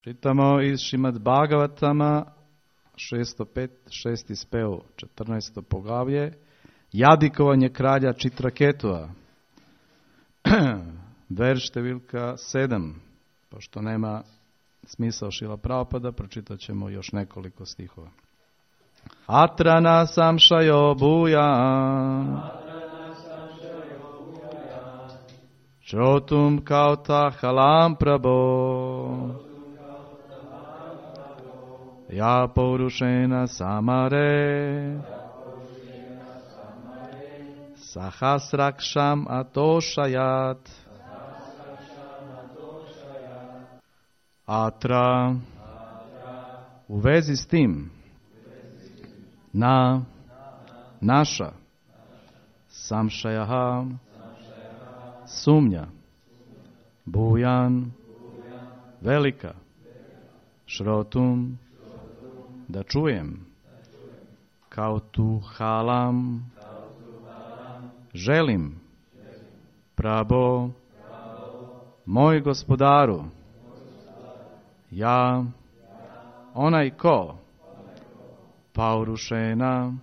Čitamo iz Šrimad Bhagavatama 606. spev, 14. poglavlje, jadikovanje kralja Čitraketua, verš številka 7. Pošto nema smisao Šrila Prabhupada, pročitat ćemo još nekoliko stihova. Atrana samšajo buja, Šrotum kauta halam prabho, ja pourušena samare, sahasrakšam atošajat, atra, u vezi s tim, na, naša, samšajaha, sumnja, bujan, velika, šrotum, da čujem, kao tu halam, želim, prabo, moj gospodaru, ja, onaj ko, paurušena,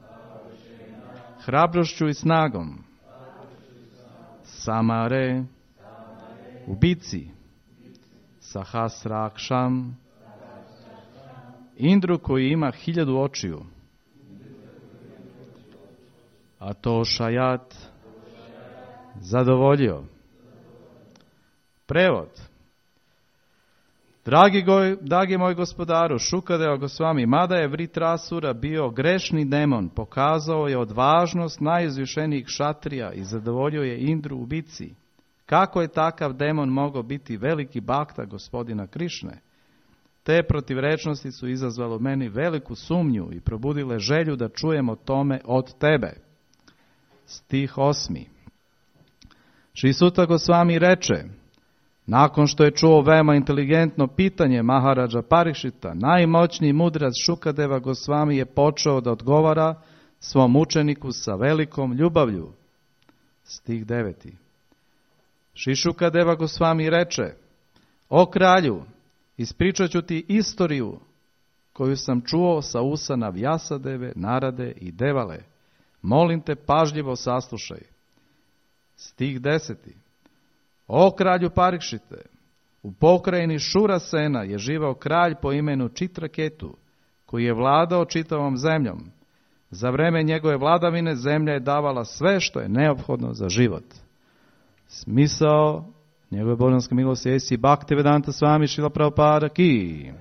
hrabrošću i snagom, samare, u bici, sahasrakšam, Indru koji ima 1000 očiju, a to šajat zadovoljio. Prevod. Dragi moj gospodaru, Šukadeva Gosvami, mada je Vritrasura bio grešni demon, pokazao je odvažnost najizvišenijih šatrija i zadovoljio je Indru u bici. Kako je takav demon mogao biti veliki bakta gospodina Krišne? Te protivrečnosti su izazvale u meni veliku sumnju i probudile želju da čujem o tome od tebe. Stih 8. Šri Suta Gosvami reče, nakon što je čuo veoma inteligentno pitanje Maharadža Parikšita, najmoćniji mudrac Šukadeva Gosvami je počeo da odgovara svom učeniku sa velikom ljubavlju. Stih 9. Šri Šukadeva Gosvami reče, o kralju, ispričat ću ti istoriju koju sam čuo sa usana Vjasadeve, Narade i Devale. Molim te, pažljivo saslušaj. Stih 10. O kralju Parikšite, u pokrajini Šurasena je živao kralj po imenu Čitraketu, koji je vladao čitavom zemljom. Za vreme njegove vladavine zemlja je davala sve što je neophodno za život. Smisao njegove božanske milosti Esi Bhaktivedanta Swami Srila Prabhupada ki.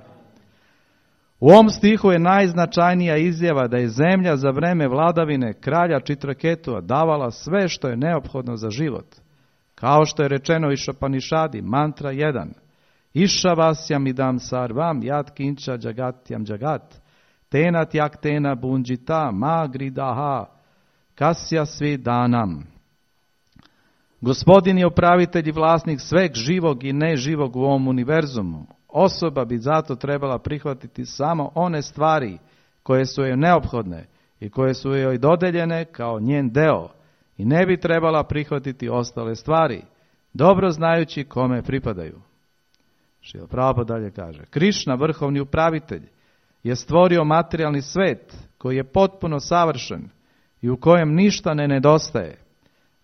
U ovom stihu je najznačajnija izjava da je zemlja za vreme vladavine kralja Čitraketua davala sve što je neophodno za život. Kao što je rečeno u Išapanišadi, mantra 1. Išavasyam idam sarvam yat kinča jagatyam jagat. Tena tyak tena bunjita ma gridaha kasya svi danam. Gospodin je upravitelj i vlasnik sveg živog i neživog u ovom univerzumu. Osoba bi zato trebala prihvatiti samo one stvari koje su joj neophodne i koje su joj dodeljene kao njen deo i ne bi trebala prihvatiti ostale stvari, dobro znajući kome pripadaju. Šrila Prabhupada dalje kaže, Krišna, vrhovni upravitelj, je stvorio materijalni svet koji je potpuno savršen i u kojem ništa ne nedostaje.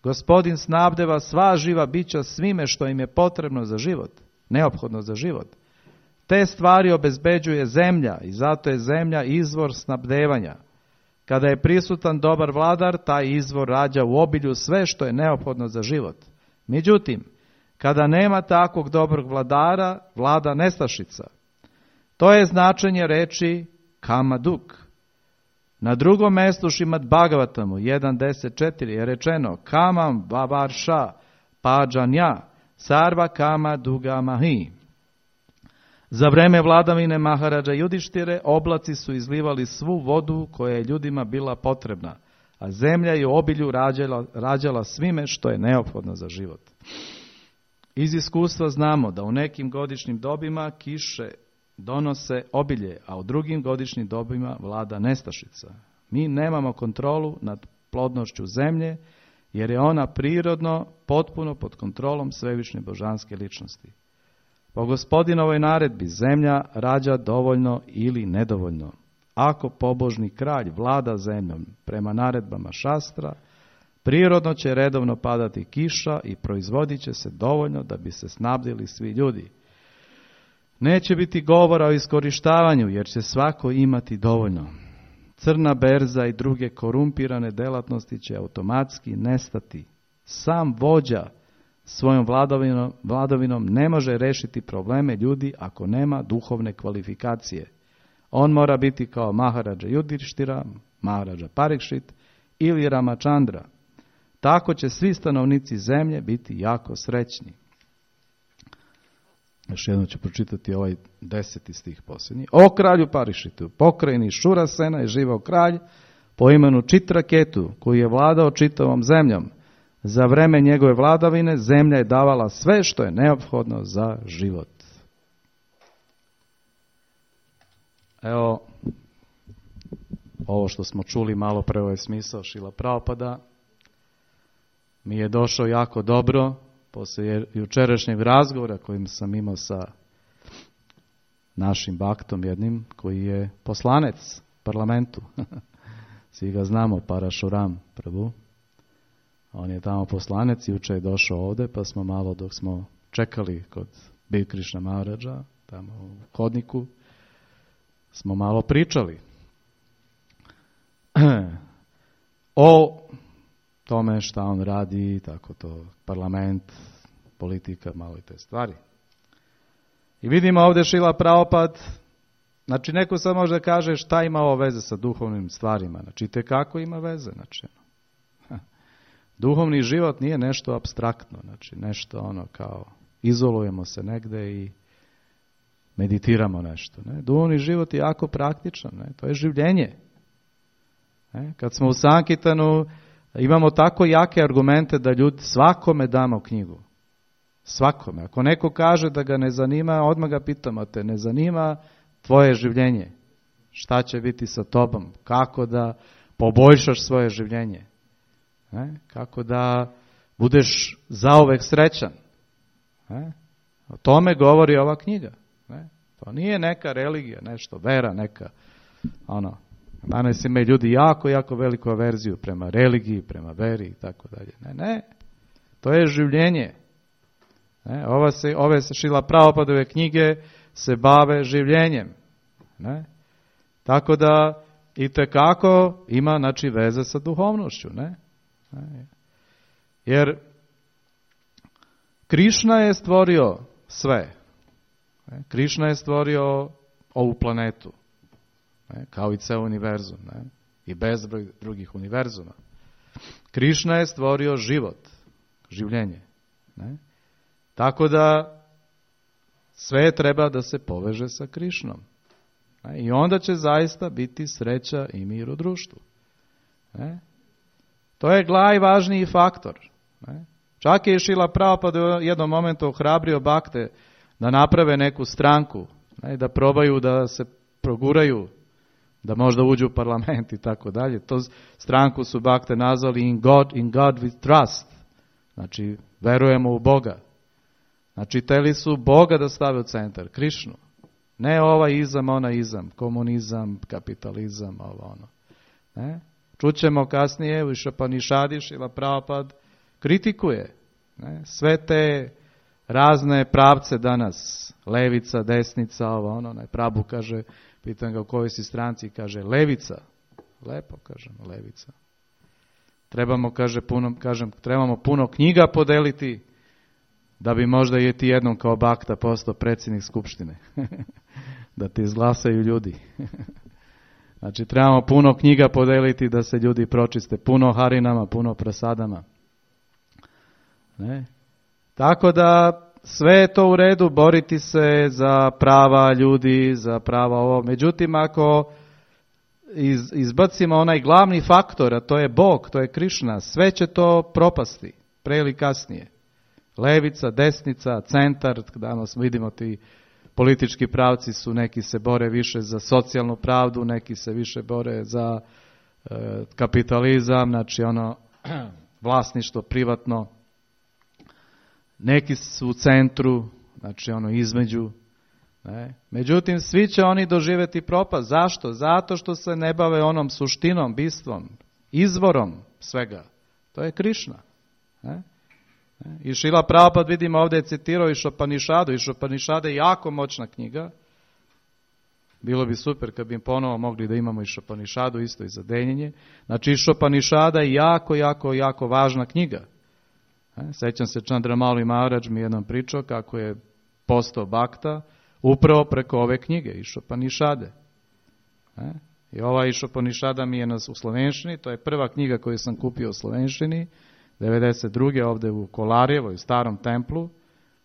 Gospodin snabdeva sva živa bića svime što im je potrebno za život, neophodno za život. Te stvari obezbeđuje zemlja i zato je zemlja izvor snabdevanja. Kada je prisutan dobar vladar, taj izvor rađa u obilju sve što je neophodno za život. Međutim, kada nema takvog dobrog vladara, vlada nestašica. To je značenje reči kamaduk. Na drugom mjestu Šrimad Bhagavatamu 1.10.4 je rečeno kamam vavarša pađanja sarva kama duga mahi. Za vreme vladavine Maharadža Judištire oblaci su izlivali svu vodu koja je ljudima bila potrebna, a zemlja je u obilju rađala svime što je neophodno za život. Iz iskustva znamo da u nekim godišnjim dobima kiše donose obilje, a u drugim godišnjim dobima vlada nestašica. Mi nemamo kontrolu nad plodnošću zemlje, jer je ona prirodno potpuno pod kontrolom svevišnje božanske ličnosti. Po Gospodinovoj naredbi zemlja rađa dovoljno ili nedovoljno. Ako pobožni kralj vlada zemljom prema naredbama šastra, prirodno će redovno padati kiša i proizvodit će se dovoljno da bi se snabdili svi ljudi. Neće biti govora o iskorištavanju, jer će svako imati dovoljno. Crna berza i druge korumpirane delatnosti će automatski nestati. Sam vođa svojom vladavinom ne može rešiti probleme ljudi ako nema duhovne kvalifikacije. On mora biti kao Maharadža Judištira, Maharadža Parikšit ili Ramachandra. Tako će svi stanovnici zemlje biti jako srećni. Još jednom ću pročitati ovaj 10. stih posljednji. O kralju Parišitu, pokrajini Šurasena je živao kralj po imenu Čitraketu, koji je vladao čitavom zemljom. Za vreme njegove vladavine zemlja je davala sve što je neophodno za život. Evo, ovo što smo čuli malo pre, ovaj smisao Šrila Prabhupada mi je došao jako dobro poslije jučerašnjeg razgovora kojim sam imao sa našim baktom jednim koji je poslanec parlamentu. Svi ga znamo, Parashuram Prabhu. On je tamo poslanec i juče je došao ovdje, pa smo malo dok smo čekali kod Bir Krišna Maharadža, tamo u hodniku, smo malo pričali o tome šta on radi, tako to, parlament, politika, malo i te stvari. I vidimo ovdje Šrila Prabhupada, znači neko sad može da kaže šta ima ovo veze sa duhovnim stvarima, znači itekako ima veze, znači duhovni život nije nešto apstraktno, znači nešto ono kao izolujemo se negde i meditiramo nešto. Ne? Duhovni život je jako praktičan, ne? To je življenje. Ne? Kad smo u Sankirtanu imamo tako jake argumente da ljudi svakome damo knjigu. Svakome. Ako neko kaže da ga ne zanima, odmah ga pitamo, te ne zanima tvoje življenje. Šta će biti sa tobom? Kako da poboljšaš svoje življenje? Ne? Kako da budeš zauvek srećan? Ne? O tome govori ova knjiga. Ne? To nije neka religija, nešto, vera, neka, ono, danas imaju ljudi jako veliku averziju prema religiji, prema veri i tako dalje. Ne, to je življenje. Ne? Ove Šrila Prabhupadove knjige se bave življenjem. Ne? Tako da itekako ima, znači, veze sa duhovnošću. Ne? Jer Krišna je stvorio sve. Krišna je stvorio ovu planetu, kao i ceo univerzum, i bezbroj drugih univerzuma. Krišna je stvorio život, življenje. Tako da sve treba da se poveže sa Krišnom. I onda će zaista biti sreća i mir u društvu. To je najvažniji faktor. Čak je Šrila Prabhupada u jednom momentu ohrabrio bakte da naprave neku stranku, da probaju da se proguraju, da možda uđu u parlament i tako dalje. To stranku su bakte nazvali in God we trust. Znači, verujemo u Boga. Znači, teli su Boga da stave u centar, Krišnu. Ne ovaj izam, onaj izam, komunizam, kapitalizam, ovo ono. Ne? Čućemo kasnije u Šapanišadi, Šrila Prabhupada kritikuje sve te razne pravce danas, levica, desnica, ovo ono, Prabhu kaže, pitam ga u kojoj si stranci, kaže levica. Lepo kažem, levica. Trebamo puno knjiga podeliti da bi možda i ti jednom kao bakta postao predsjednik skupštine. Da ti izglasaju ljudi. Znači trebamo puno knjiga podeliti da se ljudi pročiste, puno harinama, puno prasadama. Ne? Tako da sve je to u redu, boriti se za prava ljudi, za prava ovo. Međutim, ako izbacimo onaj glavni faktor, a to je Bog, to je Krišna, sve će to propasti, pre ili kasnije. Levica, desnica, centar, danas vidimo ti politički pravci su, neki se bore više za socijalnu pravdu, neki se više bore za kapitalizam, znači ono vlasništvo privatno. Neki su u centru, znači ono između. Ne? Međutim, svi će oni doživjeti propast. Zašto? Zato što se ne bave onom suštinom, bistvom, izvorom svega. To je Krišna. Ne? I Šrila Prabhupada, vidimo ovdje je citirao Išopanišadu. Išopanišada je jako moćna knjiga. Bilo bi super kad bi im ponovo mogli da imamo Išopanišadu isto i za denjenje. Znači Išopanišada je jako važna knjiga. Sjećam se Čandramali Maharaj mi jednom pričao kako je postao bakta upravo preko ove knjige Išopanišade. I ova Išopanišada mi je u slovenštini, to je prva knjiga koju sam kupio u slovenštini, 92. ovdje u Kolarjevo, u starom templu,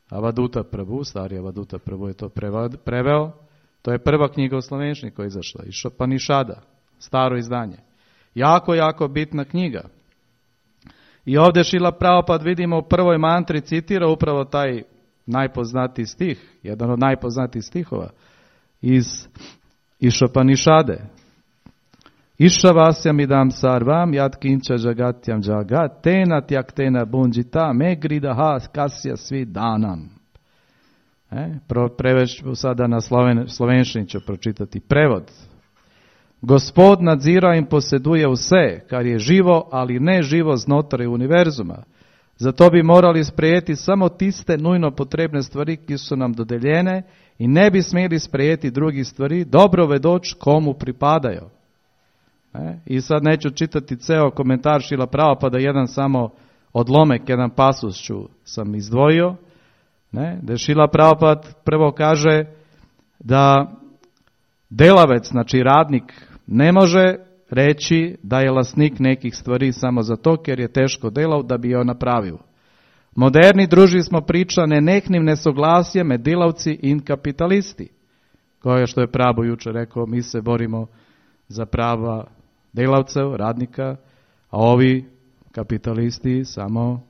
Avaduta Prabhu, stari Avaduta Prabhu je to preveo. To je prva knjiga u slovenštini koja je izašla, Išopanišada, staro izdanje. Jako bitna knjiga. I ovdje Šrila Prabhupada vidimo u prvoj mantri citira upravo taj najpoznatiji stih, jedan od najpoznatijih stihova iz Išopanišade. Išavasyam idam sarvam yat kincha jagatyam jagat tena tyaktena bunjita me gridaha kasya svidanam. Prevešću sada na slovenštini ću pročitati prevod. Gospod nadzira in poseduje vse, kar je živo, ali ne živo znotraj univerzuma. Zato bi morali sprejeti samo tiste nujno potrebne stvari, ki so nam dodeljene, in ne bi smeli sprejeti drugih stvari, dobro vedoč komu pripadajo. I sad neću čitati ceo komentar Šrila Prabhupada, jedan samo odlomek, jedan pasus sam izdvojio, da Šrila Prabhupada prvo kaže da delavec, znači radnik, ne može reći da je vlasnik nekih stvari samo zato ker je teško delal, da bi jo napravil. Moderni družbi smo priča nenehnim nesoglasjem med delavci in kapitalisti. Koje što je Prabhu jučer rekao, mi se borimo za prava delavcev, radnika, a ovi kapitalisti samo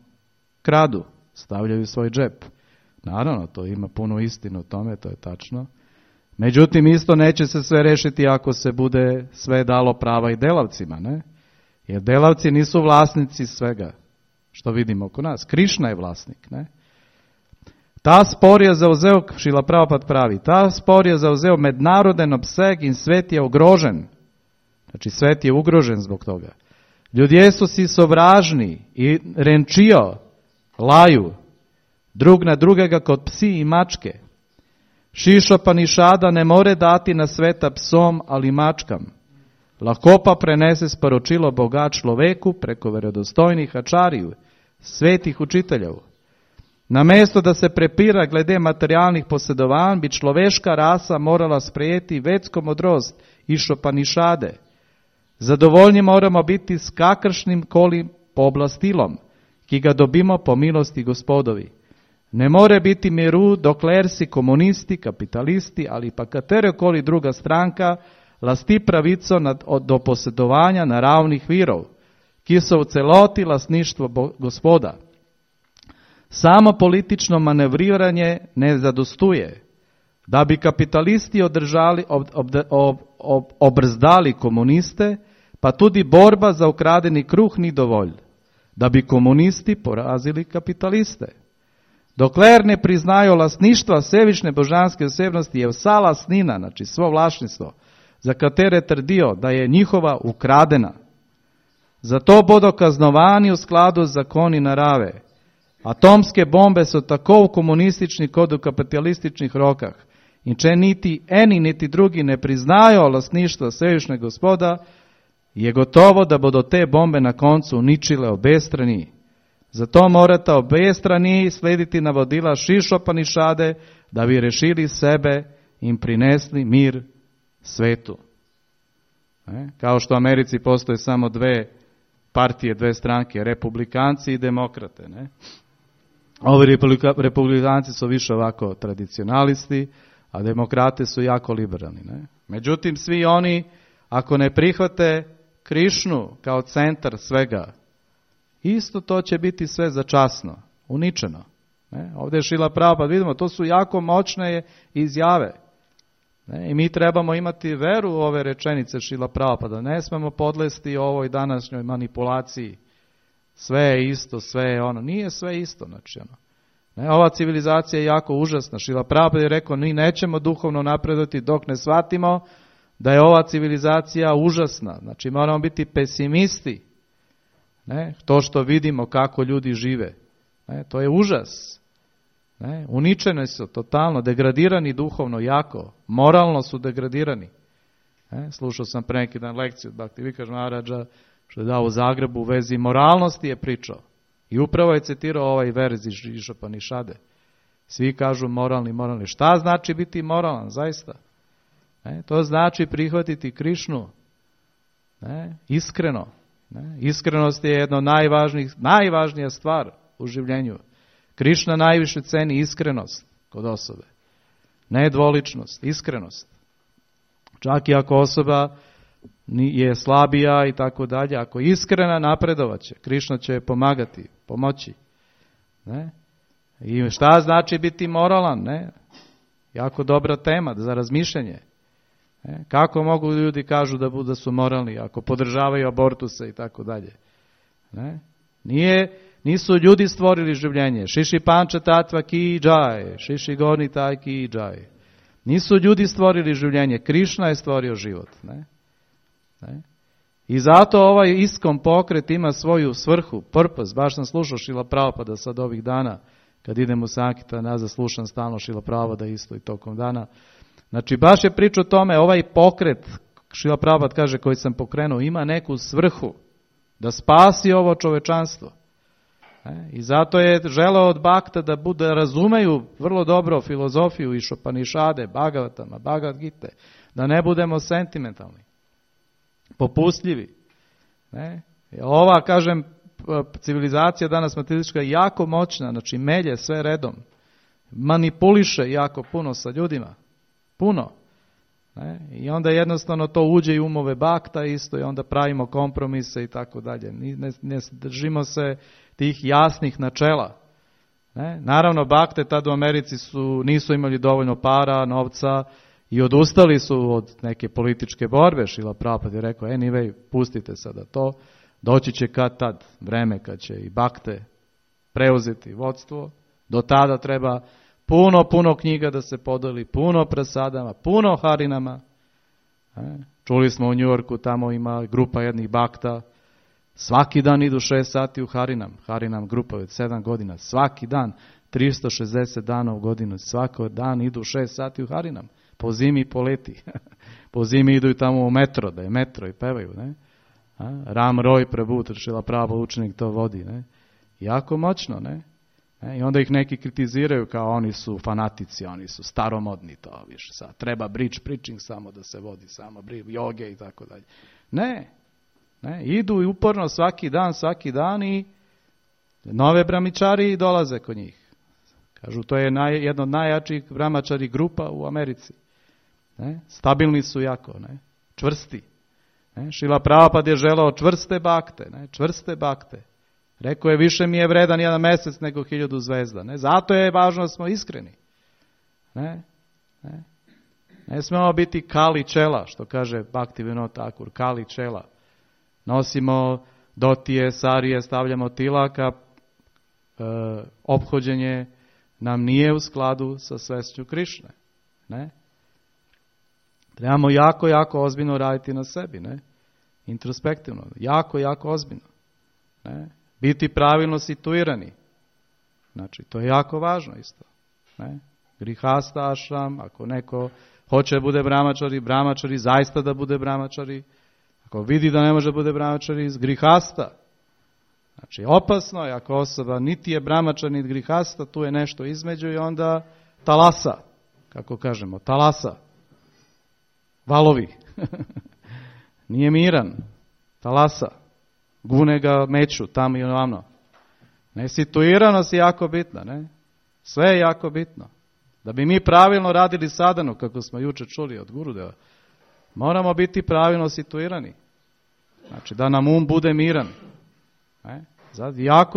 kradu, stavljaju svoj džep. Naravno, to ima puno istinu o tome, to je tačno. Međutim, isto neće se sve rešiti ako se bude sve dalo prava i delavcima, ne? Jer delavci nisu vlasnici svega, što vidimo oko nas. Krišna je vlasnik, ne? Ta spor je zauzeo, Šrila Prabhupada pravi, ta spor je zauzeo mednaroden obseg in svet je ogrožen. Znači, svet je ugrožen zbog toga. Ljudje su si sovražni i renčijo, laju, drug na drugega kot psi i mačke. Išopanišada ne more dati na sveta psom ali mačkam. Lahko pa prenese sporočilo Boga človeku preko verodostojnih ačariju, svetih učiteljev. Namesto da se prepira glede materialnih posedovanj, bi človeška rasa morala sprejeti vedsko modrost Išopanišade. Zadovoljni moramo biti s kakršnim koli pooblastilom, ki ga dobimo po milosti Gospodovi. Ne more biti miru, dokler si komunisti, kapitalisti ali pa katerekoli druga stranka lasti pravico do posedovanja naravnih virov, ki so v celoti lastništvo Gospoda. Samo politično manevriranje ne zadostuje. Da bi kapitalisti obrzdali komuniste, pa tudi borba za ukradeni kruh ni dovolj. Da bi komunisti porazili kapitaliste. Dokler ne priznajo lastništva Svevišnje božanske osebnosti, je vsa lastnina, znači svo vlasništvo, za katere trdijo, da je njihova ukradena. Zato bodo kaznovani v skladu z zakoni narave. Atomske bombe so tako v komunističnih kot v kapitalističnih rokah. In če niti eni niti drugi ne priznajo lastništva Svevišnjega Gospoda, je gotovo, da bodo te bombe na koncu uničile obe strani. Zato morata obe strani slediti navodila Išopanišade, da bi rešili sebe in prinesli mir svetu. Kao što u Americi postoje samo dve partije, dve stranke, republikanci i demokrate. Ne? Ovi republikanci su više ovako tradicionalisti, a demokrate su jako liberalni. Ne? Međutim, svi oni, ako ne prihvate Krišnu kao centar svega, isto to će biti sve začasno, uničeno. Ne? Ovdje je Šrila Prabhupada, vidimo, to su jako moćne izjave. Ne? I mi trebamo imati veru u ove rečenice Šrila Prabhupada. Ne smemo podlesti ovoj današnjoj manipulaciji. Sve je isto, sve je ono. Nije sve isto. Znači, ono. Ne, ova civilizacija je jako užasna. Šrila Prabhupada je rekao, mi nećemo duhovno napredovati dok ne shvatimo da je ova civilizacija užasna. Znači moramo biti pesimisti. Ne, to što vidimo kako ljudi žive. Ne, to je užas. Ne, uničeni su totalno, degradirani duhovno jako. Moralno su degradirani. Ne, slušao sam pre neki dan lekciju od Bhakti Vikash Maharadža što je dao u Zagrebu u vezi moralnosti je pričao. I upravo je citirao ovaj verz iz Upanishade. Svi kažu moralni. Šta znači biti moralan, zaista? Ne, to znači prihvatiti Krišnu. Ne, iskreno. Ne, iskrenost je jedna od najvažnija stvar u življenju. Krišna najviše ceni iskrenost kod osobe. Ne dvoličnost, iskrenost. Čak i ako osoba je slabija i tako dalje, ako je iskrena napredovaće, Krišna će je pomagati, pomoći. Ne? I šta znači biti moralan? Ne? Jako dobra tema za razmišljanje. Ne? Kako mogu ljudi kažu da su moralni ako podržavaju abortuse i tako dalje? Ne? Nisu ljudi stvorili življenje. Šiši panča tatva ki džaj, šiši goni taj ki džaj. Nisu ljudi stvorili življenje, Krišna je stvorio život. Ne? Ne? I zato ovaj ISKCON pokret ima svoju svrhu, purpose. Baš sam slušao Šrila Prabhupada sad ovih dana, kad idem u Sankirtan, nazad slušam stalno Šrila Prabhupada isto i tokom dana. Znači baš je priča o tome, ovaj pokret, Šrila Prabhupada kaže, koji sam pokrenuo, ima neku svrhu da spasi ovo čovečanstvo. I zato je želeo od Bhakta da razumeju vrlo dobro filozofiju iz Upanishade, Bhagavatama, Bhagavad Gite, da ne budemo sentimentalni, popustljivi. Ne? Ova, kažem, civilizacija danas materialistička je jako moćna, znači melje sve redom, manipuliše jako puno sa ljudima, puno. Ne? I onda jednostavno to uđe i umove Bhakta isto i onda pravimo kompromise i tako dalje. Ne držimo se tih jasnih načela. Ne? Naravno, Bhakte tad u Americi nisu imali dovoljno para, novca i odustali su od neke političke borbe. Šrila Prabhupada je rekao, anyway, pustite sada to, doći će kad tad vreme kad će i Bhakte preuzeti vodstvo. Do tada treba puno knjiga da se podeli, puno prasadama, puno harinama. Čuli smo u Njujorku, tamo ima grupa jednih Bhakta, svaki dan idu 6 sati u Harinam grupa od 7 godina, svaki dan, 360 dana u godinu, svaki dan idu 6 sati u Harinam, po zimi i po leti. Po zimi idu tamo u metro, da je metro i pevaju. Ne? Ram Roy Prabhu, Šrila Prabhupada učenik to vodi. Ne? Jako moćno, ne? I onda ih neki kritiziraju kao oni su fanatici, oni su staromodni, to više sad. Treba bridge preaching samo da se vodi, samo joge i tako dalje. Ne, idu i uporno svaki dan i nove brahmičari dolaze kod njih. Kažu, to je jedna od najjačih brahmačari grupa u Americi. Ne? Stabilni su jako, ne? Čvrsti. Ne? Šrila Prabhupada je želeo čvrste Bhakte, ne? Čvrste Bhakte. Rekao je, više mi je vredan jedan mjesec nego 1000 zvezda. Ne? Zato je važno da smo iskreni. Ne smemo biti kali čela, što kaže Bhaktivinoda Thakur, kali čela. Nosimo dotije, sarije, stavljamo tilaka, ophođenje nam nije u skladu sa svešću Krišne. Ne? Trebamo jako ozbiljno raditi na sebi. Ne? Introspektivno. Jako ozbiljno. Ne? Biti pravilno situirani. Znači, to je jako važno isto. Ne? Grihasta ašram, ako neko hoće da bude brahmačari, zaista da bude brahmačari. Ako vidi da ne može da bude brahmačari, iz grihasta. Znači, opasno je ako osoba niti je brahmačar, niti grihasta, tu je nešto između i onda talasa, kako kažemo, talasa. Valovi. Nije miran. Talasa. Gune ga meću, tamo i onamo. Nesituiranost je jako bitna, ne? Sve je jako bitno. Da bi mi pravilno radili sadhanu, kako smo jučer čuli od Gurudeva, moramo biti pravilno situirani. Znači, da nam bude miran. Ne?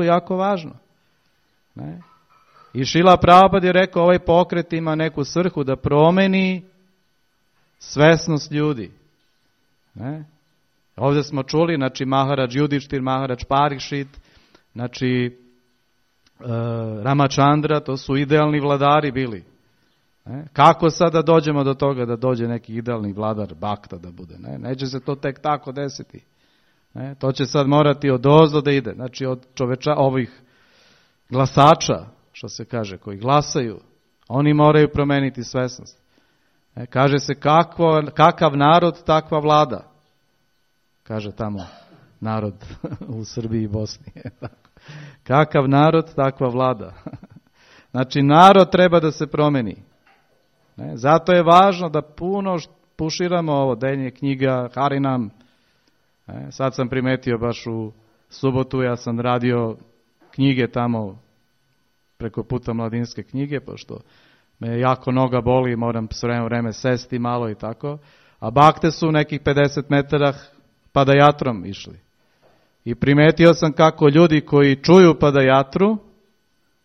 Jako važno. Ne? I Šrila Prabhupada je rekao, ovaj pokret ima neku svrhu da promeni svesnost ljudi. Ne? Ovdje smo čuli, znači Maharadž Judištir, Maharadž Parikšit, znači Ramachandra, to su idealni vladari bili. Kako sada dođemo do toga da dođe neki idealni vladar Bhakta da bude? Neće se to tek tako desiti. To će sad morati odozdo da ide. Znači od ovih glasača, što se kaže, koji glasaju, oni moraju promeniti svesnost. Kaže se kakav narod, takva vlada. Kaže tamo narod u Srbiji i Bosni. Kakav narod, takva vlada. Znači narod treba da se promeni. Zato je važno da puno puširamo ovo deljenje knjiga, Harinam. Sad sam primetio baš u subotu, ja sam radio knjige tamo preko puta Mladinske knjige, pošto me jako noga boli, moram sve vreme sesti malo i tako. A bakte su nekih 50 metara padajatrom išli. I primetio sam kako ljudi koji čuju padajatru,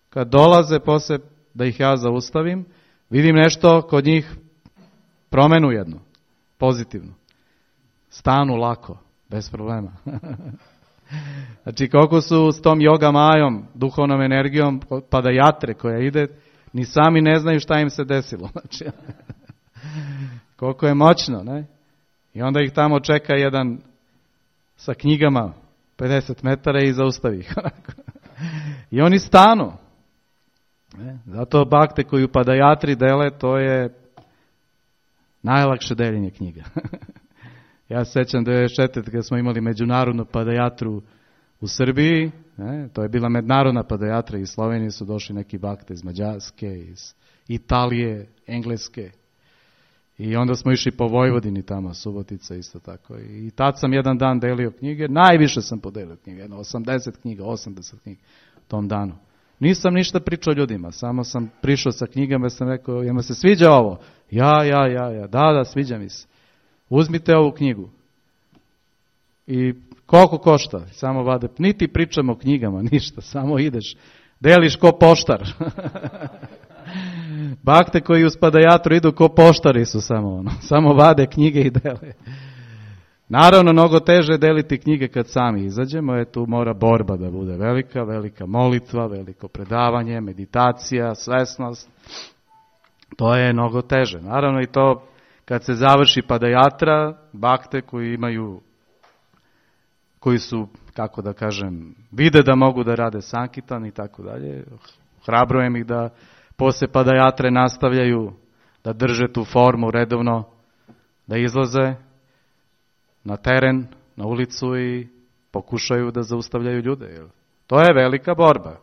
kad dolaze posle da ih ja zaustavim, vidim nešto kod njih promenu jednu, pozitivnu. Stanu lako, bez problema. Znači koliko su s tom yoga majom, duhovnom energijom padajatre koja ide, ni sami ne znaju šta im se desilo. Znači, koliko je moćno, ne? I onda ih tamo čeka jedan sa knjigama 50 metara i zaustavi ih. I oni stanu. Zato bakte koju padajatri dele, to je najlakše deljenje knjiga. Ja se sećam 1994. kada smo imali međunarodnu padajatru u Srbiji, to je bila međunarodna padajatra, iz Slovenije su došli neki bakte iz Mađarske, iz Italije, Engleske. I onda smo išli po Vojvodini tamo, Subotica isto tako. I tad sam jedan dan delio knjige, najviše sam podelio knjige, 80 knjiga, 80 knjiga tom danu. Nisam ništa pričao ljudima, samo sam prišao sa knjigama i sam rekao, jel se sviđa ovo? Ja, da, sviđa mi se. Uzmite ovu knjigu. I koliko košta? Samo vade, niti pričamo o knjigama, ništa, samo ideš, deliš ko poštar. Bakte koji uz padajatru idu ko poštari su samo vade knjige i dele. Naravno, mnogo teže deliti knjige kad sami izađemo, tu mora borba da bude velika molitva, veliko predavanje, meditacija, svesnost. To je mnogo teže. Naravno i to kad se završi padajatra, bakte koji su, kako da kažem, vide da mogu da rade sankitan i tako dalje, hrabrujem ih da posle padajatre nastavljaju da drže tu formu redovno, da izlaze na teren, na ulicu i pokušaju da zaustavljaju ljude. To je velika borba.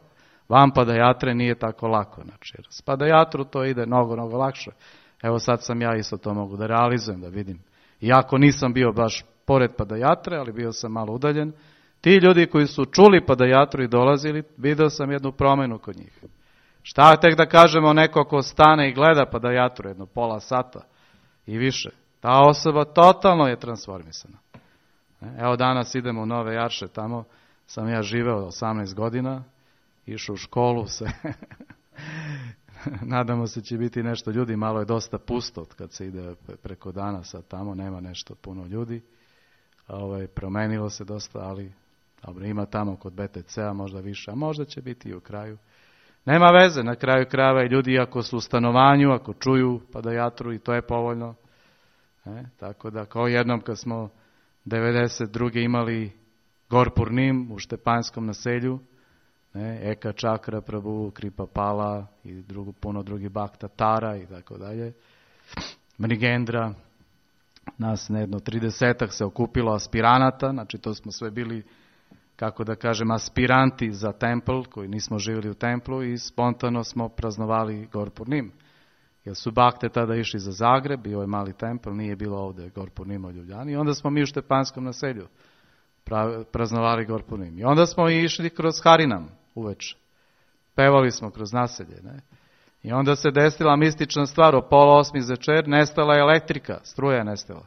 Vam padajatre nije tako lako. Znači, s padajatru to ide mnogo lakše. Evo sad sam ja isto to mogu da realizujem, da vidim. Iako nisam bio baš pored padajatre, ali bio sam malo udaljen. Ti ljudi koji su čuli padajatru i dolazili, video sam jednu promenu kod njih. Šta tek da kažemo neko ko stane i gleda padajatru jedno pola sata i više. Ta osoba totalno je transformisana. Evo danas idemo u Nove Jarše, tamo sam ja živeo 18 godina, išao u školu se. Nadamo se će biti nešto ljudi, malo je dosta pusto kad se ide preko dana, sad tamo nema nešto puno ljudi. Promenilo se dosta, ali dobro, ima tamo kod BTC-a možda više, a možda će biti i u kraju. Nema veze, na kraju krajeva i ljudi ako su u stanovanju, ako čuju padajatru i to je povoljno. Tako da kao jednom kad smo 92. imali Gorpurnim u Štepanjskom naselju, Eka Čakra, Prabhu, Kripa Pala i puno drugih bakta, Tara i tako dalje, Mrigendra, nas jedno 30-ak se okupilo aspiranata, znači to smo sve bili, kako da kažem, aspiranti za templ, koji nismo živjeli u templu i spontano smo praznovali Gorpurnim. Jer su bakte tada išli za Zagreb, bio je mali templ, nije bilo ovdje Gorpurnim u Ljubljani. I onda smo mi u Štepanskom naselju praznovali Gorpurnim. I onda smo išli kroz Harinam uveče. Pevali smo kroz naselje. I onda se desila mistična stvar, o 7:30 večer, nestala je elektrika, struja je nestala.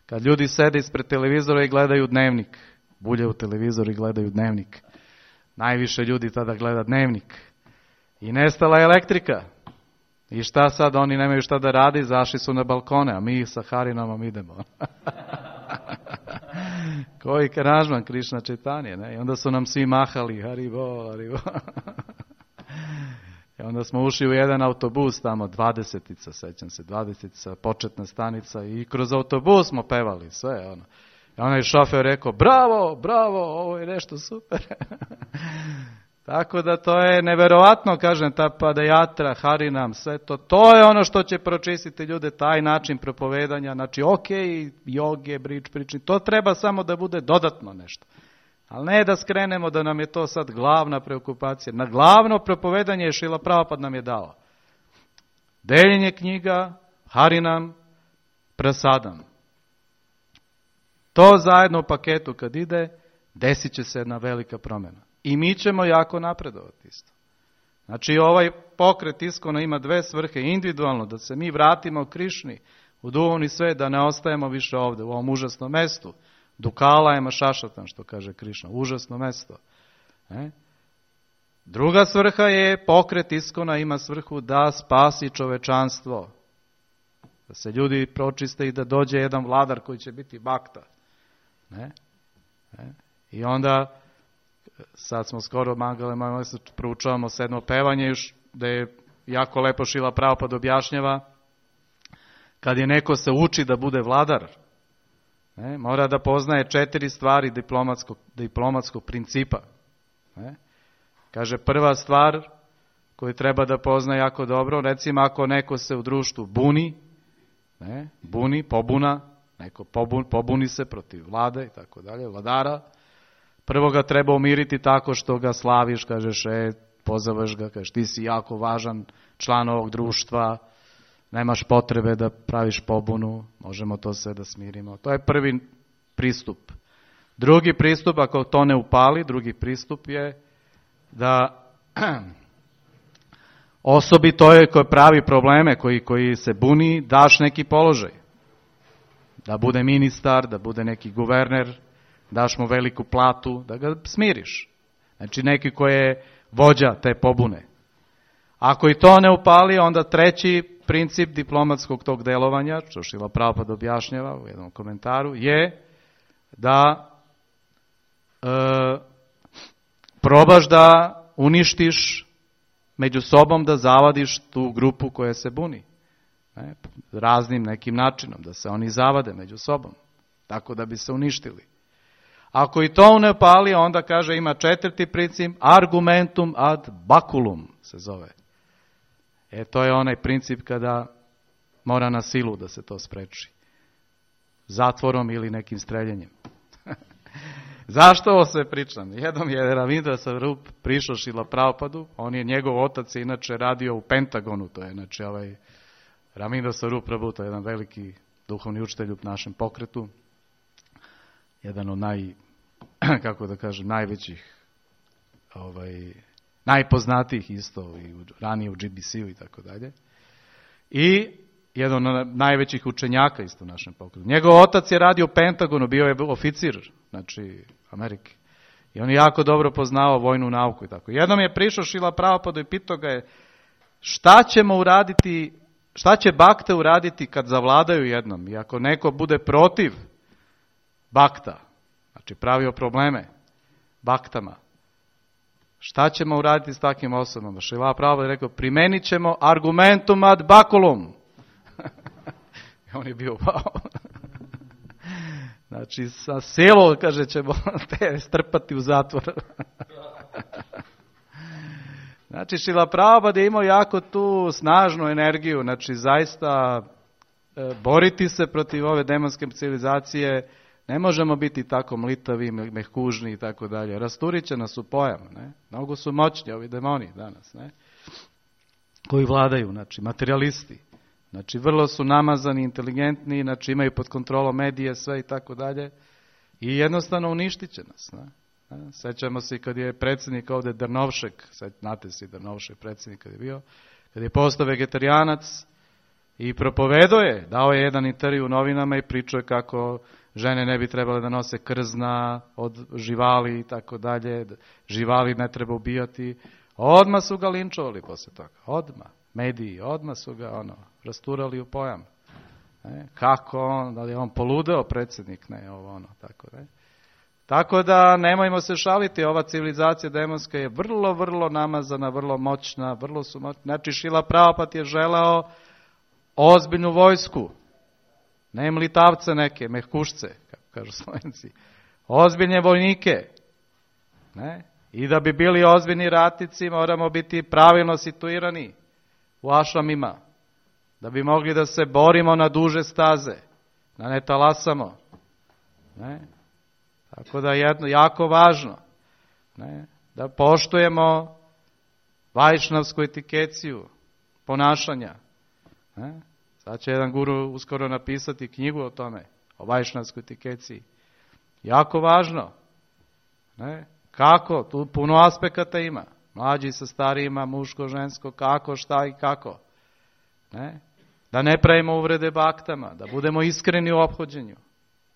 Kad ljudi sede ispred televizora i gledaju dnevnik, bulje u televizor i gledaju dnevnik. Najviše ljudi tada gleda dnevnik. I nestala je elektrika. I šta sad, oni nemaju šta da radi, zašli su na balkone, a mi sa Harinamom idemo. Koji Karažman, Krišna Četanje, I onda su nam svi mahali, Haribo, Haribo. onda smo ušli u jedan autobus tamo, 20-ica, sećam se, 20-ica, početna stanica i kroz autobus smo pevali sve, ono. I onaj šofer rekao, bravo, bravo, ovo je nešto super. Tako da to je neverovatno, kažem, ta padajatra, harinam, sve to, to je ono što će pročistiti ljude, taj način propovedanja, znači ok, joge, prični, to treba samo da bude dodatno nešto. Ali ne da skrenemo da nam je to sad glavna preokupacija. Na glavno propovedanje je Šrila Prabhupada nam je dao. Deljenje knjiga, harinam, prasadam. To zajedno u paketu kad ide, desit će se jedna velika promjena. I mi ćemo jako napredovati isto. Znači ovaj pokret Iskona ima dve svrhe, individualno, da se mi vratimo u Krišni, u duhovni svet, da ne ostajemo više ovdje, u ovom užasnom mestu. Dukala je mašašatan, što kaže Krišna, užasno mesto. Druga svrha je, pokret Iskona ima svrhu da spasi čovečanstvo. Da se ljudi pročiste i da dođe jedan vladar koji će biti bakta. I onda, sad smo skoro mangalima, proučavamo sedmo pevanje, da je jako lepo Šrila Prabhupada objašnjava, kad je neko se uči da bude vladar, mora da poznaje 4 stvari diplomatskog principa. Kaže, prva stvar koju treba da pozna jako dobro, recimo ako neko se u društvu pobuna, neko pobuni se protiv vlade i tako dalje, vladara, prvo ga treba umiriti tako što ga slaviš, kažeš, pozoveš ga, kažeš, ti si jako važan član ovog društva, nemaš potrebe da praviš pobunu, možemo to sve da smirimo. To je prvi pristup. Drugi pristup, ako to ne upali, drugi pristup je da osobi toj koji pravi probleme, koji se buni, daš neki položaj. Da bude ministar, da bude neki guverner, daš mu veliku platu, da ga smiriš. Znači neki koji je vođa te pobune. Ako i to ne upali, onda treći princip diplomatskog tog delovanja, što Šrila Prabhupada objašnjava u jednom komentaru, je da probaš da uništiš među sobom, da zavadiš tu grupu koja se buni. Raznim nekim načinom, da se oni zavade među sobom, tako da bi se uništili. Ako i to ne upali, onda kaže ima četvrti princip, argumentum ad baculum se zove. To je onaj princip kada mora na silu da se to spreči. Zatvorom ili nekim streljanjem. Zašto ovo sve pričam? Jednom je Ravindra Sarup prišao Šrila Prabhupadu, njegov otac je inače radio u Pentagonu, to je znači Ravindra Sarup Prabhu, to je jedan veliki duhovni učitelj u našem pokretu, jedan od najvećih, najpoznatijih isto, i ranije u GBC-u i tako dalje. I jedan od najvećih učenjaka isto u našem pokretu. Njegov otac je radio u Pentagonu, bio je oficir, znači Amerike. I on je jako dobro poznao vojnu nauku i tako. Jednom je prišao Šrila Prabhupada i pitao ga je šta će bakte uraditi kad zavladaju jednom? I ako neko bude protiv bakta, znači pravio probleme baktama, šta ćemo uraditi s takvim osobama? Šrila Prabhupada je rekao, primenit ćemo argumentum ad baculum. I on je bio, wow. Znači, sa silom, kaže, ćemo te strpati u zatvor. Znači, Šrila Prabhupada je imao jako tu snažnu energiju, znači, zaista boriti se protiv ove demonske civilizacije, ne možemo biti tako mlitavi, mehkužni i tako dalje. Rasturit će nas u pojam, ne? Mnogo su moćni ovi demoni danas, ne? Koji vladaju, znači, materijalisti. Znači, vrlo su namazani, inteligentni, znači, imaju pod kontrolom medije, sve i tako dalje. I jednostavno uništit će nas, ne? Sećamo se kad je predsjednik ovdje Drnovšek, znate si Drnovšek predsjednik kad je bio, kad je postao vegetarijanac i propovedao je, dao je jedan intervju u novinama i pričao je kako žene ne bi trebale da nose krzna od živali i tako dalje, živali ne treba ubijati. Odmah su ga linčovali poslije toga, odmah. Mediji, odmah su ga rasturali u pojam. Kako on, da li je on poludeo predsjednik, ne, tako, ne. Tako da nemojmo se šaliti, ova civilizacija demonska je vrlo, vrlo namazana, vrlo moćna, vrlo su moćna. Znači Šrila Prabhupada je želeo ozbiljnu vojsku, ne mlitavce neke, mehkušce, kako kažu Slovenci, ozbiljne vojnike. Ne? I da bi bili ozbiljni ratnici moramo biti pravilno situirani u ašramima, da bi mogli da se borimo na duže staze, da ne talasamo. Ne? Tako da je jako važno, ne, da poštujemo vajšnavsku etikeciju ponašanja. Ne. Sad će jedan guru uskoro napisati knjigu o tome, o vajšnavskoj etikeciji. Jako važno. Ne. Kako? Tu puno aspekata ima. Mlađi sa starijima, muško, žensko, kako, šta i kako. Ne. Da ne pravimo uvrede baktama, da budemo iskreni u ophođenju.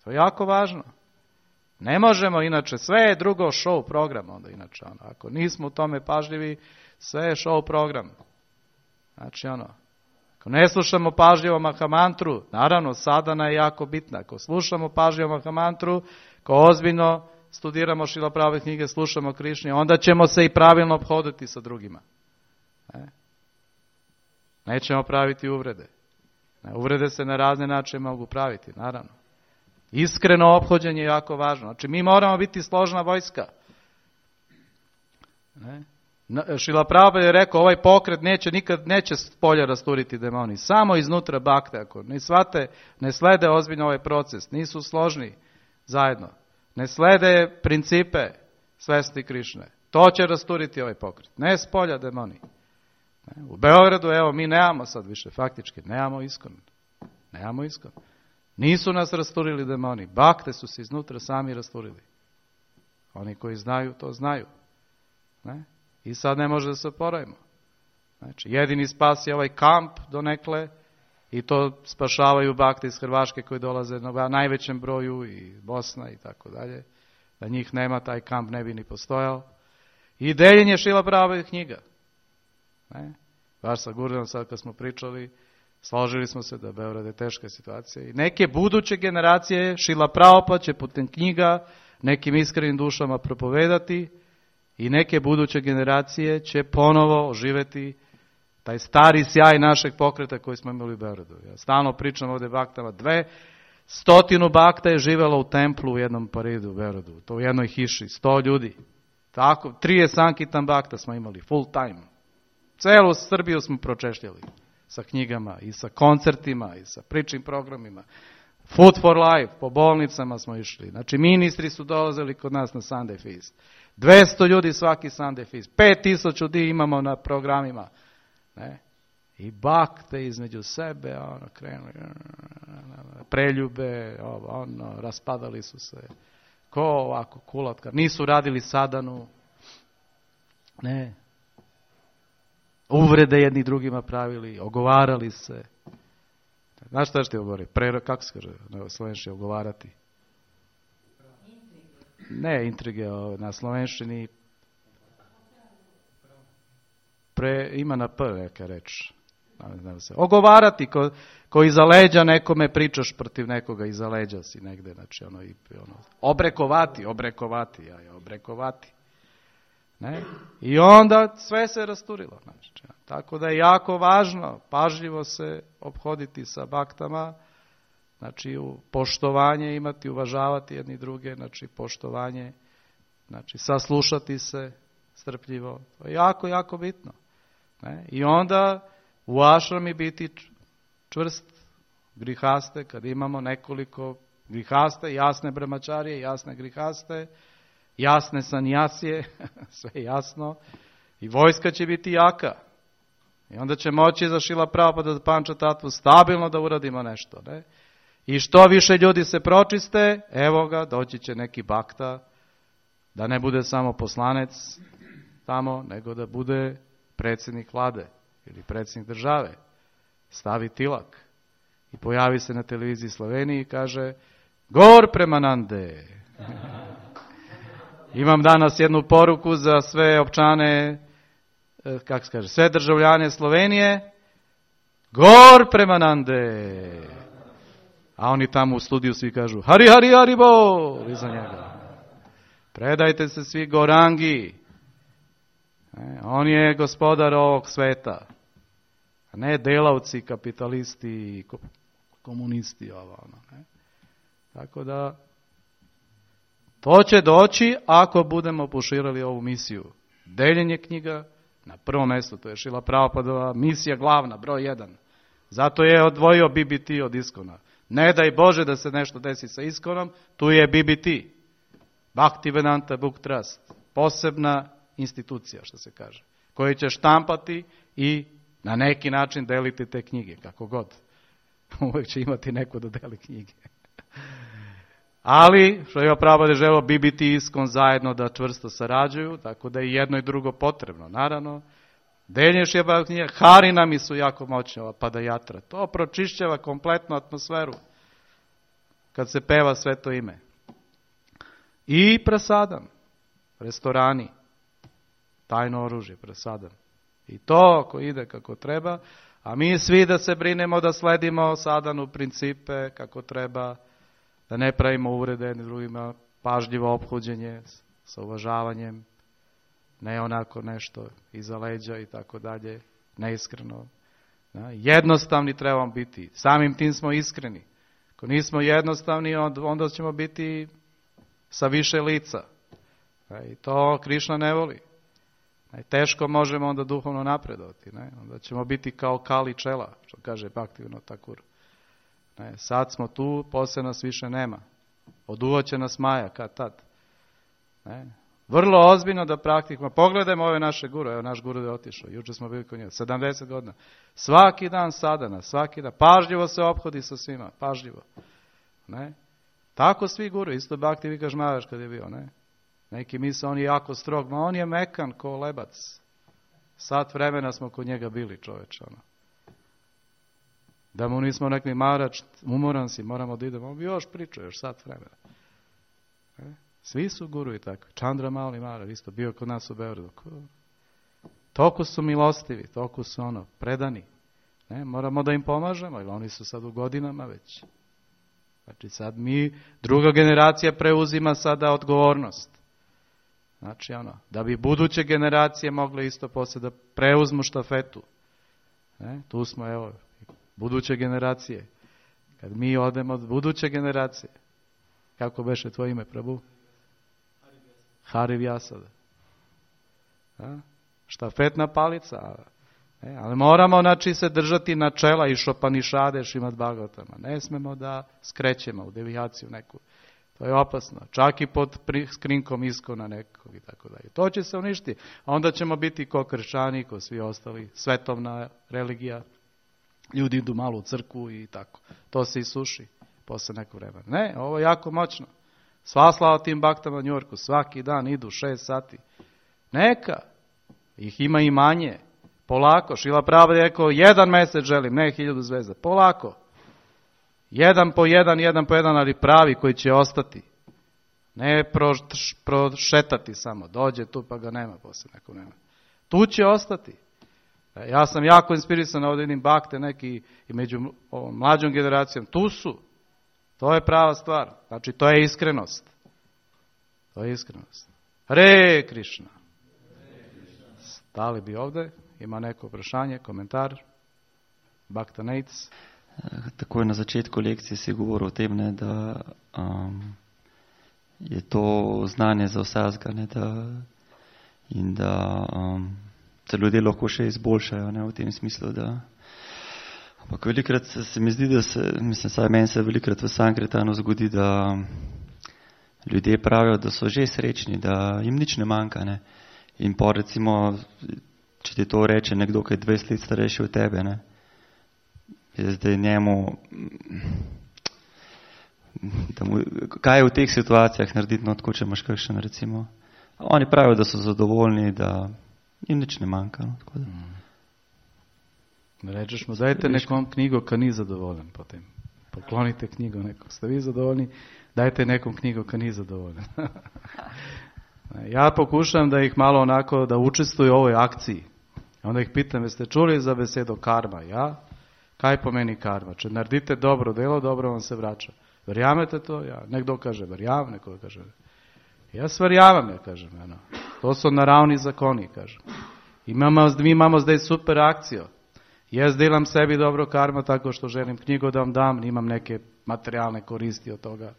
To je jako važno. Ne možemo, inače, sve je drugo show program, onda inače, ako nismo u tome pažljivi, sve je show program. Znači, ako ne slušamo pažljivo Mahamantru, naravno, sadhana je jako bitna, ako slušamo pažljivo Mahamantru, ako ozbiljno studiramo Šrila Prabhupada knjige, slušamo Krišnje, onda ćemo se i pravilno ophoditi sa drugima. Nećemo praviti uvrede. Uvrede se na razne načine mogu praviti, naravno. Iskreno ophođenje je jako važno. Znači, mi moramo biti složna vojska. Šrila Prabhupada je rekao, ovaj pokret neće s polja rasturiti demoni. Samo iznutra bakte, ako ne shvate, ne slede ozbiljno ovaj proces, nisu složni zajedno. Ne slede principe svesti Krišne. To će rasturiti ovaj pokret. Ne s polja demoni. U Beogradu, evo, mi nemamo sad više, faktički, nemamo iskon. Nemamo iskon. Nisu nas rasturili demoni. Bakte su se iznutra sami rasturili. Oni koji znaju, to znaju. Ne? I sad ne može da se oporavimo. Znači, jedini spas je ovaj kamp donekle i to spašavaju bakte iz Hrvaške koji dolaze na najvećem broju i Bosna i tako dalje. Da njih nema, taj kamp ne bi ni postojao. I deljenje Šrila Prabhupada knjiga. Ne? Baš sa Gurdenom sad kad smo pričali, složili smo se da Beograd je teška situacija i neke buduće generacije Šrila Prabhupada će putem knjiga nekim iskrenim dušama propovedati i neke buduće generacije će ponovo oživeti taj stari sjaj našeg pokreta koji smo imali u Beogradu. Ja stalno pričam ovdje baktama, 200 bakta je živjelo u templu u jednom paridu u Beogradu, to u jednoj hiši, 100 ljudi. Tako, 30 Sankitan bakta smo imali, full time. Celu Srbiju smo pročešljali sa knjigama i sa koncertima i sa pričim programima. Food for life, po bolnicama smo išli. Znači, ministri su dolazili kod nas na Sunday Feast. 200 ljudi svaki Sunday Feast. 5000 ljudi imamo na programima. Ne? I bakte između sebe, krenuli, preljube, raspadali su se. Ko ovako, kulatka. Nisu radili sadanu. Ne. Uvrede jedni drugima pravili, ogovarali se. Znaš šta ti govori? Kako se kaže na slovenščini ogovarati? Ne, intrige na slovenščini. Ima na P neka reč. Ogovarati, ko iza leđa nekome pričaš protiv nekoga, iza leđa si negde. Znači, obrekovati. Ne? I onda sve se rasturilo. Znači, tako da je jako važno pažljivo se ophoditi sa baktama, znači poštovanje imati, uvažavati jedni druge, znači poštovanje, znači saslušati se strpljivo. To je jako, jako bitno. Ne? I onda u ašrami biti čvrst grihaste, kad imamo nekoliko grihaste, jasne brahmačarije, jasne grihaste, jasne sanjasije, sve jasno, i vojska će biti jaka. I onda će moći za Šrila Prabhupada da Panča Tatvu stabilno da uradimo nešto. Ne? I što više ljudi se pročiste, evo ga, doći će neki bakta, da ne bude samo poslanec tamo, nego da bude predsjednik vlade ili predsjednik države. Stavi tilak i pojavi se na televiziji Sloveniji i kaže Gor Premanande. Imam danas jednu poruku za sve općane, kako se kaže, sve državljane Slovenije. Gor Premanande. A oni tamo u studiju svi kažu Hari, Hari, Hari, Bol iza njega. Predajte se svi Gorangi. On je gospodar ovog sveta. A ne delavci, kapitalisti i komunisti. Tako da, to će doći ako budemo poširali ovu misiju. Deljenje knjiga, na prvom mjestu, to je Šrila Prabhupadova misija glavna, broj 1. Zato je odvojio BBT od Iskona. Ne daj Bože da se nešto desi sa Iskonom, tu je BBT. Bhaktivedanta Book Trust. Posebna institucija, što se kaže. Koju će štampati i na neki način deliti te knjige, kako god. Uvijek će imati neko da deli knjige. Ali, što je Prabhupada želeo, BBT i Iskon zajedno da čvrsto sarađuju, tako da je jedno i drugo potrebno. Naravno, deljenje Šrila knjige, Harinami su jako moćni, ova Padajatra. To pročišćava kompletnu atmosferu kad se peva sveto ime. I prasadam, restorani, tajno oružje, prasadam. I to ako ide kako treba, a mi svi da se brinemo da sledimo sadanu principe kako treba, da ne pravimo uvrede jednim drugima, pažljivo ophođenje sa uvažavanjem, ne onako nešto iza leđa i tako dalje, neiskreno. Jednostavni trebamo biti, samim tim smo iskreni. Ako nismo jednostavni, onda ćemo biti sa više lica. I to Krišna ne voli. Teško možemo onda duhovno napredovati. Onda ćemo biti kao Kali čela, što kaže Bhaktivinoda Thakur. Sad smo tu, poslije nas više nema. Oduvaće nas Maja, kad tad. Vrlo ozbiljno da praktikujemo. Pogledajmo ove naše guru, evo naš guru je otišao, jučer smo bili kod njega, 70 godina. Svaki dan sadana, svaki dan, pažljivo se ophodi sa svima, pažljivo. Tako svi guru, isto Bhakti Vikash Maharaj kad je bio, Neki misle, on je jako strog, ma on je mekan ko lebac. Sat vremena smo kod njega bili, čoveče, Da mu nismo rekli, Maharaj, umoran si, moramo da idemo, on bi još pričao, još sat vremena. Svi su guru i tako. Chandra Mali Maharaj, isto bio kod nas u Beogradu. Toliko su milostivi, toliko su predani. Moramo da im pomažemo, jer oni su sad u godinama već. Znači sad druga generacija preuzima sada odgovornost. Znači da bi buduće generacije mogle isto poslije da preuzmu štafetu. Tu smo, evo, buduće generacije. Kad mi odemo od buduće generacije. Kako beše tvoje ime, Prabhu? Hari Vyasada. Štafetna palica. Ali moramo, znači, se držati načela i Šopanišade, Šrimad Bhagavatama. Ne smemo da skrećemo u devijaciju neku. To je opasno. Čak i pod skrinkom Iskona nekog i tako dalje. To će se uništiti. A onda ćemo biti ko kršćani, ko svi ostali. Svetovna religija. Ljudi idu malo u crkvu i tako. To se isuši posle nekog vremena. Ne, ovo je jako moćno. Sva slava tim baktama u Njujorku. Svaki dan idu 6 sati. Neka. Ih ima i manje. Polako. Šrila Prabhupada je rekao, 1 mesec želim, ne 1000 zvezda. Polako. 1 po 1, ali pravi koji će ostati. Ne prošetati samo. Dođe tu pa ga nema posle nekog vremena. Tu će ostati. Ja sam jako inspirisan ovdje vidim bakte neki i među ovom mlađom generacijom. Tu su. To je prava stvar. Znači to je iskrenost. To je iskrenost. Hare Krišna. Stali bi ovdje. Ima neko vprašanje, komentar? Bhakta Nates. Takoj na začetku lekcije si govoril o tem, da je to znanje za vsakega in da se ljudje lahko še izboljšajo v tem smislu. Ampak velikrat se mi zdi, saj meni se velikrat v Sankirtanu zgodi, da ljudje pravijo, da so že srečni, da jim nič ne manjka. In pa recimo, če ti to reče nekdo, ki je 20 let starejši od tebe, je zdaj njemu, kaj je v teh situacijah narediti, tako če imaš kakšen recimo. Oni pravijo, da so zadovoljni, da jim nič ne manjka. Rečeš mu, dajte nekom knjigo, ki ni zadovoljen potem. Poklonite knjigo nekom. Ste vi zadovoljni? Dajte nekom knjigo, ki ni zadovoljen. Ja pokušam da ih malo onako, da učestvuju u ovoj akciji. Onda ih pitam, jeste čuli za besedo karma? Ja? Kaj pomeni karma? Če naredite dobro delo, dobro vam se vraća. Verjamete to? Ja. Nekdo kaže verjam, neko kaže. Jaz verjamem, kažem. To so naravni zakoni, kažem. Mi imamo zdaj super akcijo. Jaz delam sebi dobro karma tako što želim knjigu da vam dam, nimam neke materijalne koristi od toga,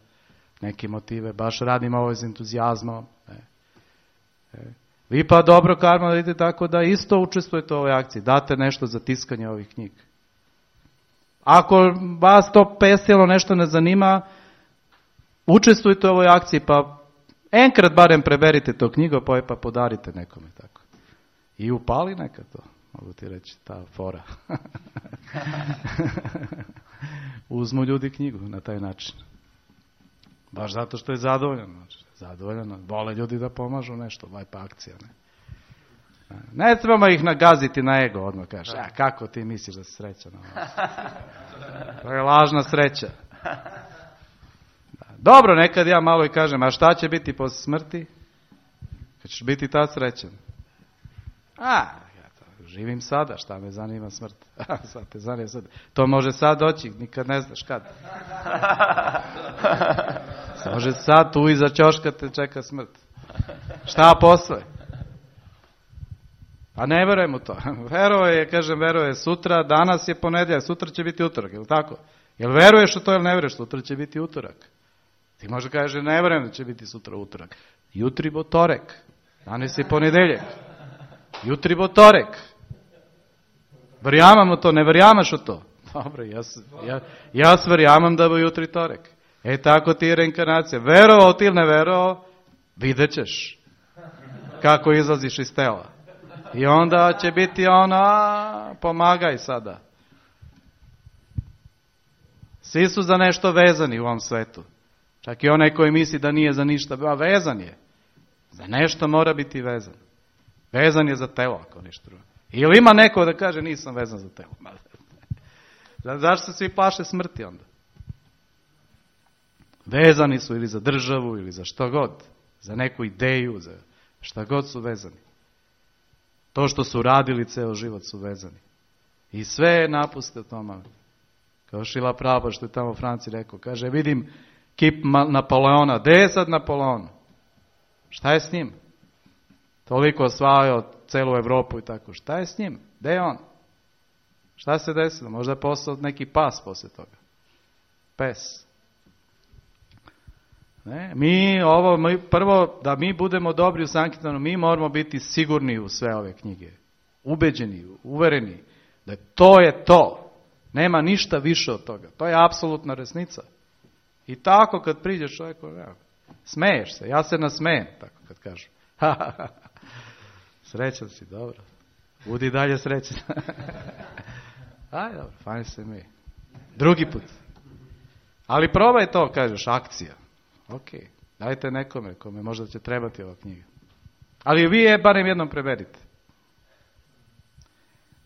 neke motive, baš radim ovo iz entuzijazmom. Vi pa dobro karma radite tako da isto učestvujete u ovoj akciji, date nešto za tiskanje ovih knjiga. Ako vas to pesilo nešto ne zanima, učestvujte u ovoj akciji, pa enkrat barem preberite to knjigo, pa podarite nekome tako. I upali neka to, mogu ti reći, ta fora. Uzmu ljudi knjigu na taj način. Baš zato što je zadovoljeno. Vole ljudi da pomažu nešto, lepa akcija. Ne trebamo ih nagaziti na ego, odmah kažeš, kako ti misliš da si srećan? To je lažna sreća. Dobro, nekad ja malo i kažem, a šta će biti posle smrti? Kad ćeš biti tad srećan? Živim sada, šta me zanima smrt? Sad te zanima sad. To može sad doći, nikad ne znaš kad. Može sad tu iza ćoška te čeka smrt. Šta posle? Pa ne verujem u to. Veruje sutra, danas je ponedjeljak, sutra će biti utorak, je li tako? Jel veruješ u to ili ne veruješ, sutra će biti utorak? Ti možda kažeš, ne verujem da će biti sutra utorak. Jutri bo torek, danas je ponedeljak. Jutri bo torek. Verjamam u to, ne verjamaš u to? Dobro, ja verjamam da bo jutri torek. Tako ti je reinkarnacija. Verovao ti ili ne verovao, vidjet ćeš kako izlaziš iz tela. I onda će biti pomagaj sada. Svi su za nešto vezani u ovom svetu. Čak i onaj koji misli da nije za ništa, vezan je. Za nešto mora biti vezan. Vezan je za telo, ako ništa drugo. Ili ima neko da kaže nisam vezan za telo. Zašto se svi plaše smrti onda? Vezani su ili za državu, ili za što god. Za neku ideju, za šta god su vezani. To što su radili ceo život su vezani. I sve napuste u tome. Kao Šrila Prabhupada što je tamo u Franciji rekao. Kaže, vidim kip Napoleona. Gde je sad Napoleon? Šta je s njim? Toliko osvajao celu Evropu i tako. Šta je s njim? Gde je on? Šta se desilo? Možda je postao neki pas posle toga. Pes. Prvo, da mi budemo dobri u Sankirtanu, mi moramo biti sigurni u sve ove knjige. Ubeđeni, uvereni da to je to. Nema ništa više od toga. To je apsolutna resnica. I tako kad priđeš čovjeku, smeješ se. Ja se nasmejem, tako kad kažu. Srećan si, dobro. Budi dalje srećan. Aj, dobro, fajn se mi. Drugi put. Ali probaj to, kažeš, akcija. Ok, dajte nekome, kome možda će trebati ova knjiga. Ali vi je barem jednom prevedite.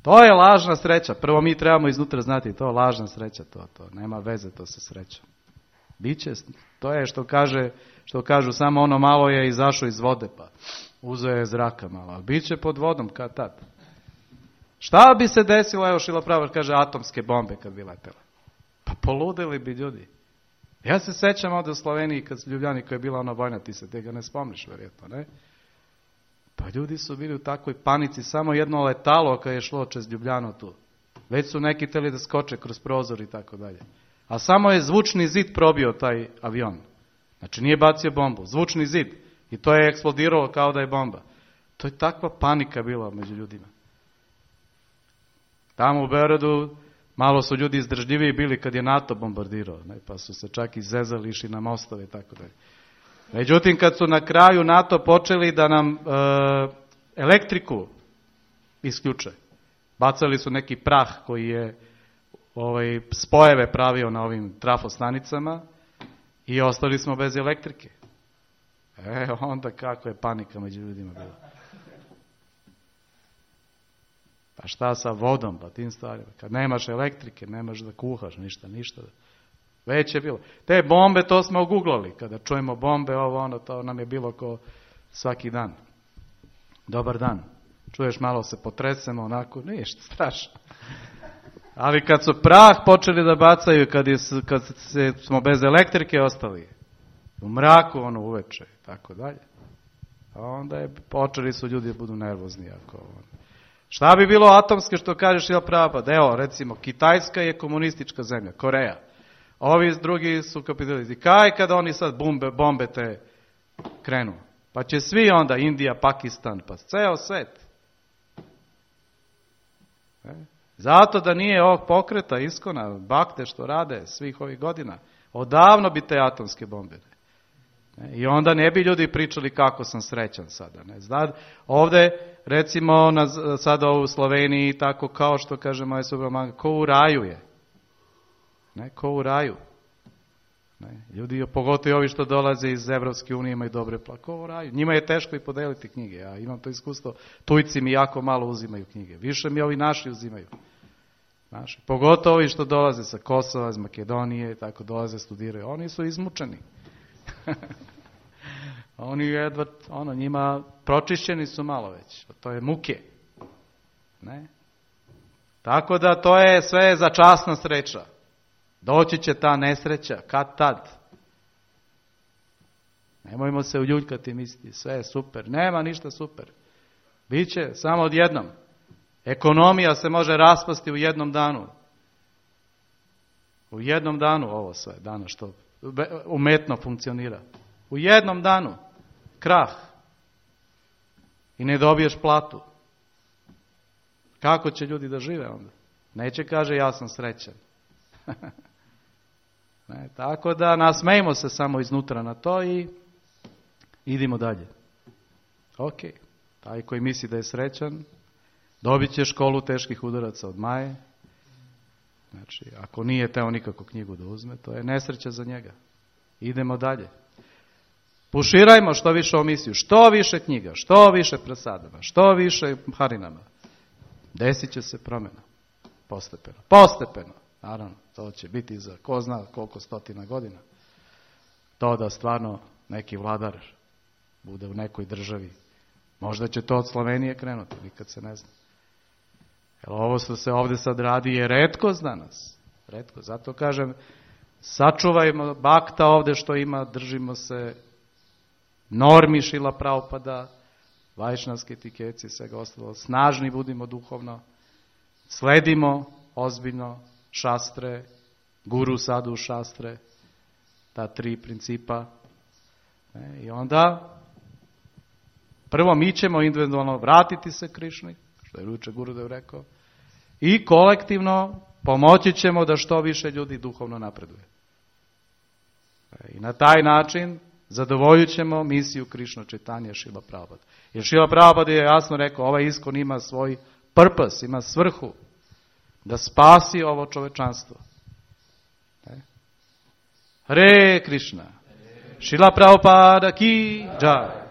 To je lažna sreća. Prvo mi trebamo iznutra znati, to je lažna sreća, to nema veze to sa srećom. Biće, to je što kažu, samo ono malo je izašao iz vode, pa uzeo je zraka malo, ali biće pod vodom kad tad. Šta bi se desilo, evo Šrila Prabhupada kaže, atomske bombe kad bi letele? Pa poludeli bi ljudi. Ja se sećam ovdje u Sloveniji, kad Ljubljani koja je bila ona vojna, ti se tega ne spomniš, vjerojatno, ne? Pa ljudi su bili u takvoj panici, samo jedno letalo kad je šlo čez Ljubljanu tu. Već su neki htjeli da skoče kroz prozor i tako dalje. A samo je zvučni zid probio taj avion. Znači nije bacio bombu, zvučni zid. I to je eksplodiralo kao da je bomba. To je takva panika bila među ljudima. Tamo u Beogradu malo su ljudi izdržljiviji bili kad je NATO bombardirao, ne, pa su se čak izezali, išli na mostove i tako dalje. Međutim, kad su na kraju NATO počeli da nam elektriku isključe, bacali su neki prah koji je spojeve pravio na ovim trafostanicama i ostali smo bez elektrike. Onda kako je panika među ljudima bila. Pa šta sa vodom, pa tim stvarima. Kad nemaš elektrike, nemaš da kuhaš, ništa. Već je bilo. Te bombe, to smo oguglali. Kada čujemo bombe, to nam je bilo ko svaki dan. Dobar dan. Čuješ, malo se potresemo, onako, ništa, strašno. Ali kad su prah počeli da bacaju, kad smo bez elektrike ostali, u mraku ono uveče i tako dalje. A onda počeli su ljudi da budu nervozni. Šta bi bilo atomske što kažeš Šrila Prabhupada? Evo, recimo, Kitajska je komunistička zemlja, Koreja. Ovi drugi su kapitalisti. Kaj kada oni sad bombe te krenu? Pa će svi onda, Indija, Pakistan, pa ceo svet. Zato da nije ovog pokreta, iskona, bakte što rade svih ovih godina, odavno bi te atomske bombe. I onda ne bi ljudi pričali kako sam srećan sada. Ovde, recimo, sada u Sloveniji, tako kao što kaže moja Subramanga, ko u raju je. Ko u raju. Ljudi, pogotovo ovi što dolaze iz Evropske unije, imaju dobre ko u raju. Njima je teško i podeliti knjige. Ja imam to iskustvo. Tujci mi jako malo uzimaju knjige. Više mi ovi naši uzimaju. Pogotovo ovi što dolaze sa Kosova, iz Makedonije, tako dolaze, studiraju. Oni su izmučeni. Oni jedva, njima pročišćeni su malo već. To je muke. Tako da to je sve za časna sreća. Doći će ta nesreća, kad tad. Nemojmo se uljuljkati i misliti, sve je super. Nema ništa super. Biće samo odjednom. Ekonomija se može raspasti u jednom danu. U jednom danu ovo sve, danas što umetno funkcionira. U jednom danu. Krah. I ne dobiješ platu. Kako će ljudi da žive onda? Neće kaže ja sam srećan. Tako da nasmejmo se samo iznutra na to i idimo dalje. Ok. Taj koji misli da je srećan, dobit će školu teških udaraca od Maje. Znači, ako nije teo nikako knjigu da uzme, to je nesreća za njega. Idemo dalje. Puširajmo što više o misiju, što više knjiga, što više prasadama, što više harinama. Desit će se promjena. Postepeno. Postepeno. Naravno, to će biti za ko zna koliko stotina godina. To da stvarno neki vladar bude u nekoj državi. Možda će to od Slovenije krenuti, nikad se ne zna. Jer ovo što se ovdje sad radi je retkost danas. Retko. Zato kažem, sačuvajmo bakta ovdje što ima, držimo se normi Šrila Prabhupada, vajšnavske etikeci, svega ostalo. Snažni budimo duhovno, sledimo ozbiljno šastre, guru sadhu šastre, ta 3 principa. I onda prvo mi ćemo individualno vratiti se Krišni, što je jučer Gurudev rekao, i kolektivno pomoći ćemo da što više ljudi duhovno napreduje. I na taj način zadovoljit ćemo misiju Krišna Čitanja Šrila Prabhupada. Jer Šrila Prabhupada je jasno rekao, ovaj iskon ima svoj purpose, ima svrhu da spasi ovo čovečanstvo. Hare Krishna. Šrila Prabhupada ki jai.